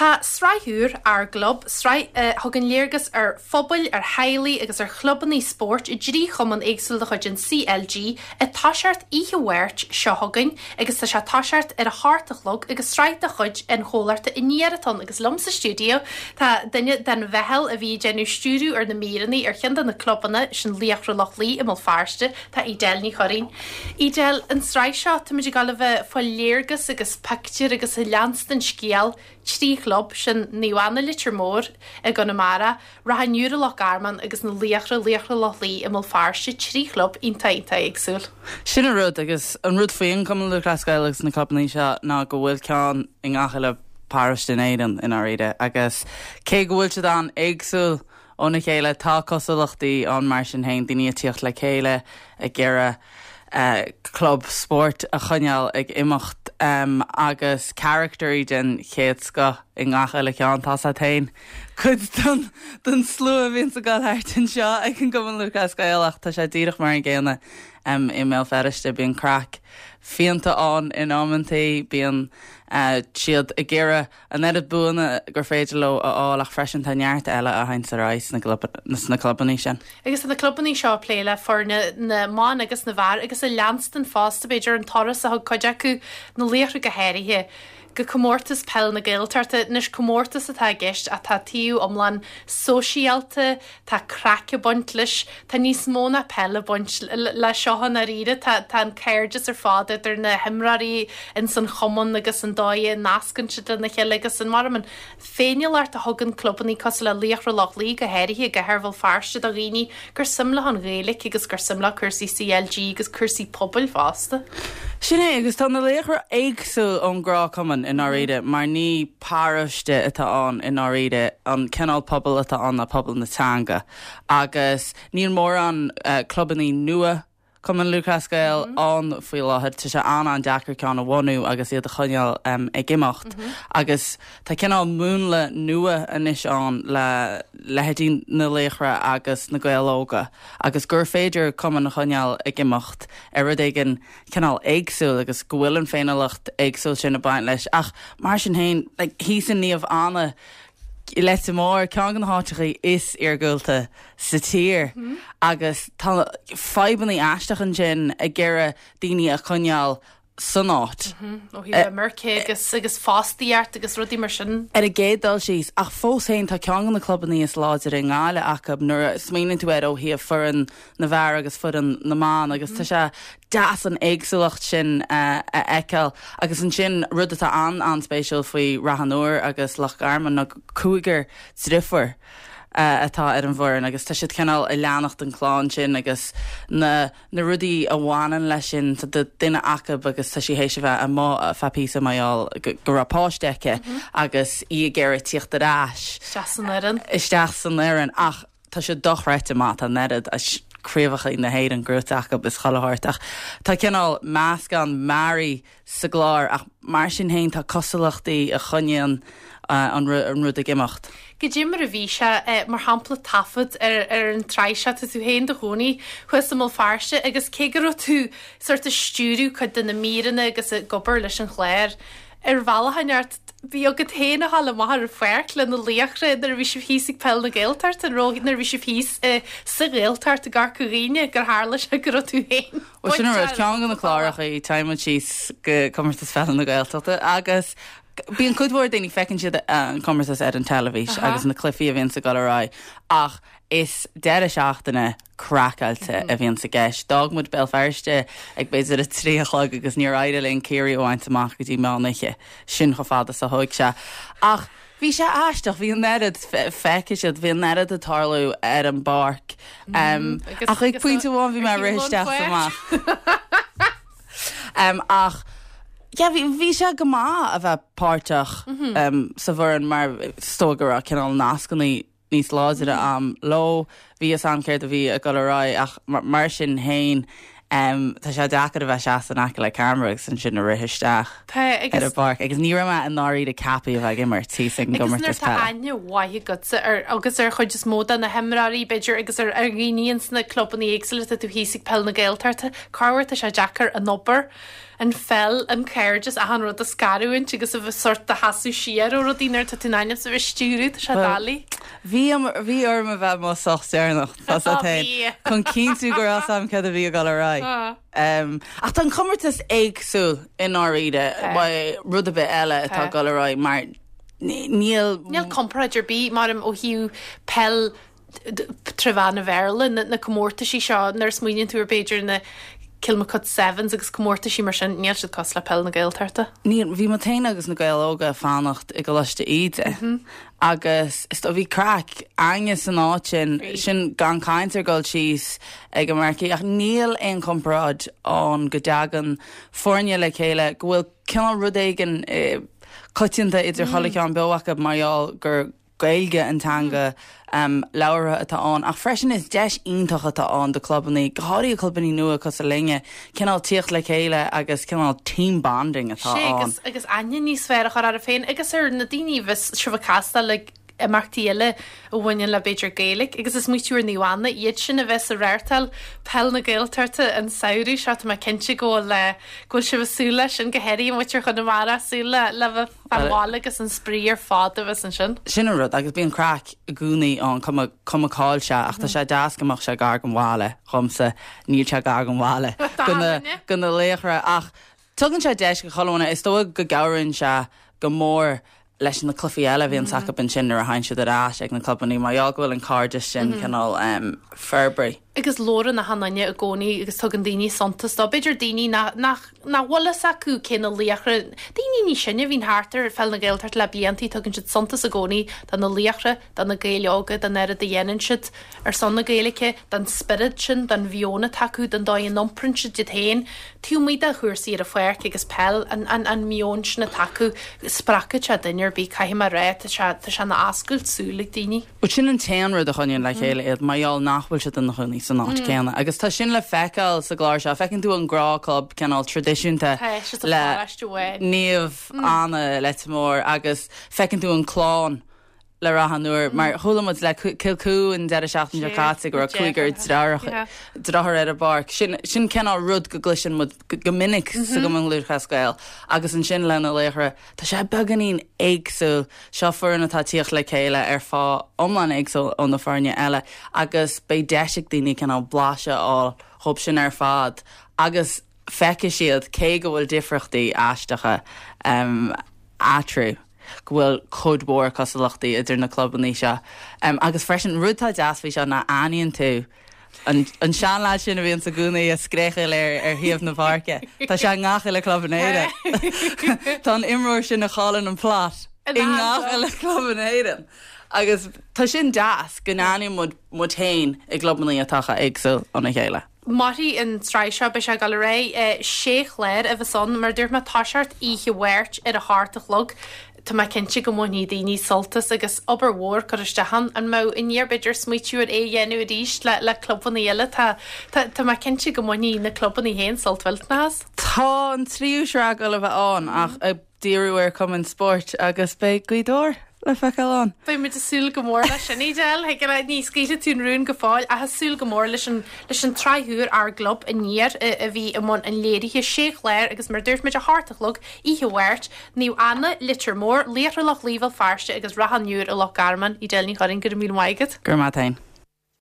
Tá sraith úr, Ár gClub, sraith a thugann léargas ar phobail, ar theaghlaigh agus ar chlubanna spóirt i dtrí chumann éagsúil de chuid an CLG, ag toiseacht oíche Mháirt seo chugainn agus tá sé ag toiseacht ar a hocht a chlog agus sraith de chuid an chomhlachta Aniar atá ann agus liom sa stiúideo tá duine den mheitheal a bhí ag déanamh stiúradh ar na míreanna ar cheann de na clubanna, sin Laochra Loch Lao i mBéal Feirste, tá Edel Ní Churraoin. Edel, an tsraith seo, táimid ag dul a bheith ag fáil léargas agus pictiúr agus ag leanstan scéal trí chlub, sin Naomh Anna Leitir Móir i gConamara, Ráth an Iúir i Loch Garman agus na Laochra, Laochra Loch Lao i mBéal Feirste, trí chlub iontach iontach éagsúil. Sin an rud, agus an rud faoin Chumann Lúthchleas Gael agus na clubanna seo ná go bhfuil ceann i ngach uile paróiste in Éirinn i ndáiríre agus cé go bhfuil siad an-éagsúil óna chéile, tá cosúlachtaí ann mar sin féin, daoine ag tíocht le chéile ag iarraidh club spóirt a choinneáil ag imeacht agus caractairí den chéad scoth i ngach uile cheann. Tá's a't féin cuid den slua a bhíonns ag dul thart anseo ag an gCumann Lúthchleas Gael ach tá sé díreach mar an gcéanna i mBéal Feirste. Bíonn craic fiánta ann in amantaí, bíonn siad ag iarraidh an oiread buanna gur féidir leo a fháil ach freisin tá neart eile a théanns ar aghaidh sna clubanna sin. Agus tá na clubanna seo ag plé le foirne na mban agus na bhfear agus ag leanstan fosta, b'fhéidir, an turas a thug cuid acu, na laochra go háirithe, go Comórtas Peile na Gaeltachta. Anois comórtas atá i gceist ach tá taobh iomlán sóisialta, tá craic ag baint leis, tá níos mó ná peil ag baint le seo i ndáiríre, tá tá an cairdeas ar fad idir na himreoirí ins an chumann agus an dóigh a nascann siad lena chéile agus an mar an féiniúlacht a thugann clubanna cosúil le Laochra Loch Lao go háirithe i gcathair Bhéal Feirste do dhaoine gur suim leo an Ghaeilge agus gur suim leo cúrsaí CLG agus cúrsaí pobail fosta. Sin é, agus tá na Laochra éagsúil ón ngnáthchumann i ndáiríre mar ní paróiste atá ann i ndáiríre, an cineál pobail atá ann ná pobal na teanga agus níl mórán clubannaí nua Cumann Lúthchleas Gael ann faoi láthair. Tá sé an-an-deacair ceann a bhunú agus iad a choinneáil ag imeacht agus tá cineál múnla nua anois ann le leithéidí na Laochra agus na Gaeil Óga agus gur féidir cumann a choinneáil ag imeacht ar rud éigin cineál éagsúil agus go bhfuil an féiniúlacht éagsúil sin ag baint leis ach mar sin féin like thíos in Naomh Anna i Leitir Móir, ceann de na háiteachaí is iargúlta sa tír agus tá fadhbannaí aisteach ansin ag iarraidh daoine a choinneáil san áit. Ó thaobh imirce agus agus fostaíocht agus rudaí mar sin. Ar an gcéad dul síos, ach fós féin tá ceann de na clubannaí is láidre i nGaillimh acu nuair a smaoiníonn tú air ó thaobh foireann na bhfear agus foireann na mban agus tá sé deas an éagsúlacht sin a fheiceáil. Agus ansin rud atá an-an-spéisiúil faoi Rath an Iúir agus Loch Garman ná cúigear driofúr atá ar an bhfoireann agus tá siad cineál ag leanacht an clann sin agus na na rudaí a bhaineann leis sin. Tá duine acu agus tá sí théis a bheith amuigh ar feadh píosa mar gheall go raibh páiste aici agus í ag iarraidh tíocht ar ais Isteach san fhoireann. isteach san fhoireann ach Tá sé dochreidte maith, tá an oiread craobhacha na hÉireann gnóthaithe acu is chuile shórt ach tá cineál meascán mearaí sa gclár ach mar sin féin tá cosúlachtaí a choinníonn an rud ag imeacht. Goidé mar a bhí sé, mar shampla taifead ar ar an tsraith seo, tá tú féin do chónaí thuas i mBéal Feirste agus cé go raibh tú sórt ag stiúradh cuid de na míreanna agus ag obair leis an chlár, Ar bhealach inteacht, bhí agat féin a ghabháil amach ar an pháirc le na laochra nuair a bhí sibh thíos ag Peil na Gaeltachta, an raibh, nuair a bhí sibh thíos sa Ghaeltacht i gCorca Dhuibhne, gur tharla sé go raibh tú féin Bhuel, sin an rud, ceann de na cláracha, téann muid síos go Comórtas Pheile na Gaeltachta agus bíonn cuid mhór daoine, feiceann siad an comórtas ar an teilifís agus na cluichí a bhíonns ag dul ar aghaidh ach is deireadh seachtaine craiceáilte a bhíonns i gceist. D'fhág muid Béal Feirste ag b'fhéidir a 3 a chlog agus níor éirigh linn Ciarraí a bhaint amach go dtí meán oíche. Sin chomh fada is a thóig sé. Ach bhí sé aisteach, bhí an oiread, feicfidh siad, bhí an oiread ag tarlú ar an bpáirc. Ach ag pointe amháin bhí mé ag rith isteach is amach. Ach yeah, bhí, bhí sé go maith a bheith páirteach sa bhfoireann mar is dóigh go raibh cineál nascanna níos láidre a'm leo. Bhí fhios a'm céard a bhí ag dul ar aghaidh ach mar sin fhéin. Tá sé deacair a bheith seasta in aice le ceamara agus ansin a rith isteach Tá, agus. ar an bpáirc agus ní raibh mé i ndáiríre ceaptha a bheith ag imirt thíos ag an Agus nuair gcomórtas atá peile. aithne mhaith agatsa ar, agus ar chuid is mó de na himreoirí b'fhéidir agus ar ar dhaoine ins na clubanna éagsúla atá tú thíos ag Peil na Gaeltachta, corruair tá sé deacair an obair, an pheil, an cairdeas, achan rud a scarúint agus a bheith sórt do sheasamh siar ó rudaí nuair atá tú in ainm is a bheith ag stiúradh, tá sé doiligh. Bhí, bhí orm a bheith mo soch deireanach, tá 's agat féin, chun cinntiú go raibh 's a'm céard a bhí ag dul ar aghaidh. Ach tá an comórtas éagsúil i ndáiríre, rud ar bith eile atá ag dul ar aghaidh mar níl. Níl comparáid ar bith, mar ó thaobh peil tré mheán an Bhéarla, na comórtaisí seo, nuair a smaoiníonn tú ar b'fhéidir na Kilmacud Sevens agus comórtaisí mar sin, níl siad cosúil le Peil na Gaeltachta. Níl, bhí muid féin agus na Gaeil Óga ag fanacht i gColáiste Íde agus is dóigh bhí craic againne san áit sin, sin gan caint ar dhul síos ag an Marquee ach níl aon chomparáid ann go dtagann foirne le chéile go bhfuil cineál rud éigin coitianta idir chuile cheann beo acu mar gheall gur Gaeilge an teanga labhartha atá ann ach freisin is deis iontach atá ann do clubannaí, go háirithe clubannaí nua cosúil linne, cineál tíocht le chéile agus cineál team bonding atá Sé ann. agus agus aithne níos fearr a chur oraibh féin agus ar na daoine a bheas sibh ag castáil ag imeachtaí eile a bhaineann le b'fhéidir Gaeilge agus ag smaoitiú ar Naomh Anna, iad sin a bheas ag reáchtáil Peil na Gaeltachta an samhradh seo, tá mé cinnte go bhfuil go bhfuil sibh ag súil leis sin, go háirithe muintir Chonamara ag súil le le bheith Fán bhaile agus an spraoi ar fad a bheas ansin. Sin an rud, agus bíonn craic i gcónaí ann, cuma cuma cá'il sé, ach tá sé deas go mbeadh sé gar don bhaile, dhomsa, níl sé gar don bhaile, do na, do na laochra, ach tugann sé deis do chuile dhuine, is dóigh go gcabhraíonn sé go mór leis na cluichí eile a bhíonns acu ansin nuair a thagann siad ar ais ag na clubannaí, mar gheall go bhfuil an cairdeas sin cineál forbraithe. Agus labhrann achan duine i gcónaí agus tugann daoine suntas dó, b'fhéidir daoine nach, nach. nach bhfuil fhios acu cé na laochra, daoine níos sine a bhíonn thart ar Pheil na Gaeltachta le bliantaí, tugann siad suntas i gcónaí do na laochra, do na Gaeil óga, don oiread a dhéanann siad ar son na Gaeilge, don spiorad sin, don mheon atá acu, don dóigh a n-iompraíonn siad iad féin, taobh amuigh de chúrsaí ar an pháirc agus peil, an, an, an meon sin atá acu, spreagfadh sé duine ar bith, caithfidh mé a rá, tá sé, tá sé ina oscailt súl ag daoine. Bhuel, sin an t-aon rud a choinníonn le chéile iad, mar gheall nach bhfuil siad ina chónaí san áit céanna. Agus tá sin le feiceáil sa gclár seo. Feiceann tú an gnáthchlub cineál traidisiúnta le Naomh Anna, Leitir Móir agus feiceann tú an clann le Ráth an Iúir. Mar chuala muid le Cill Cú an deireadh seachtaine seo caite go raibh cúigear deartháir ar an bpáirc. Sin sin cineál rud go gcloiseann muid go minic sa gCumann Lúthchleas Gael. Agus ansin le na Laochra, Tá sé beagáinín éagsúil. Seo foireann atá ag tíocht le chéile ar fáth iomlán éagsúil ó na foirne eile agus beidh deis ag daoine cineál blaiseadh a fháil dhóibh sin ar fad agus feicfidh siad, cé go bhfuil difríochtaí aisteacha eatarthu, go bhfuil cuid mhór cosúlachtaí idir na clubanna seo. Agus freisin, rud atá deas faoi seo ná aithníonn tú An seanleaid sin a bhíonns i gcónaí ag scréachaíl ar ar thaobh na páirce. Tá sé i ngach uile club in Éirinn. Tá an imreoir sin a chailleann an plot i ngach uile club in Éirinn. Agus tá sin deas go n-aithníonn muid muid féin i gclubannaí atá chomh éagsúil óna chéile. Mairfidh an tsraith seo, beidh sé ag dul ar aghaidh. Sé chlár a bheas ann, mar a dúirt mé, toiseacht oíche Mháirt ar a hocht a chlog. Tá mé cinnte go mbainfidh daoine sult as agus obair mhór curtha isteach ann. An mbeadh Aniar b'fhéidir smaoitiú ar é a dhéanamh arís le le clubanna eile? Tá tá tá mé cinnte go mbainfidh na clubanna féin sult mhillteanach as. Tá an tríú sraith ag dul a bheith ann ach ag díriú ar chumainn spóirt agus beidh Gaoth Dobhair le feiceáil ann. Beidh muid ag súil go mór leis sin, Edel. Thig leat, ní scaoilfidh tú an rún go fóill ach ag súil go mór leis an leis an tsraith úr Ár gClub Aniar a bhí i mbun an léirithe. Sé chlár agus mar a dúirt muid a hocht a chlog oíche Mháirt. Naomh Anna, Leitir Móir, Laochra Loch Lao Bhéal Feirste agus Ráth an Iúir i Loch Garman. Edel Ní Churraoin, go raibh míle maith agat. Go raibh maith agat féin.